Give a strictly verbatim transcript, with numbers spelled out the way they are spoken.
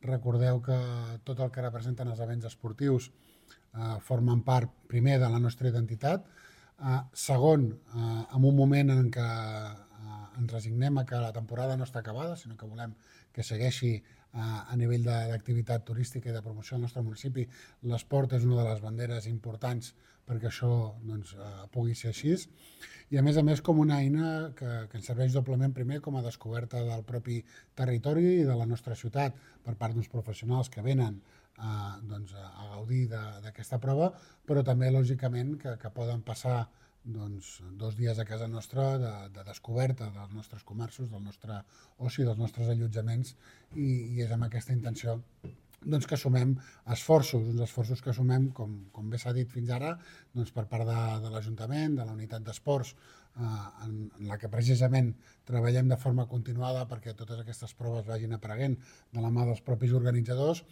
recordeu que tot el que representen els events esportius eh, formen part, primer, de la nostra identitat, eh, segon, eh, en un moment en què eh, ens resignem a que la temporada no està acabada, sinó que volem que segueixi eh, a nivell d'activitat turística i de promoció al nostre municipi. L'esport és una de les banderes importants perquè això doncs, eh, pugui ser així. I a més a més com una eina que, que ens serveix doblement primer com a descoberta del propi territori i de la nostra ciutat per part d'uns professionals que venen eh, doncs, a gaudir d'aquesta prova, però també lògicament que, que poden passar doncs, dos dies a casa nostra de, de descoberta dels nostres comerços, del nostre oci, dels nostres allotjaments i, i és amb aquesta intenció doncs que sumem esforços, uns esforços que sumem, com, com bé s'ha dit fins ara, doncs per part de, de l'Ajuntament, de la unitat d'esports, eh, en, en la que precisament treballem de forma continuada perquè totes aquestes proves vagin apareguent de la mà dels propis organitzadors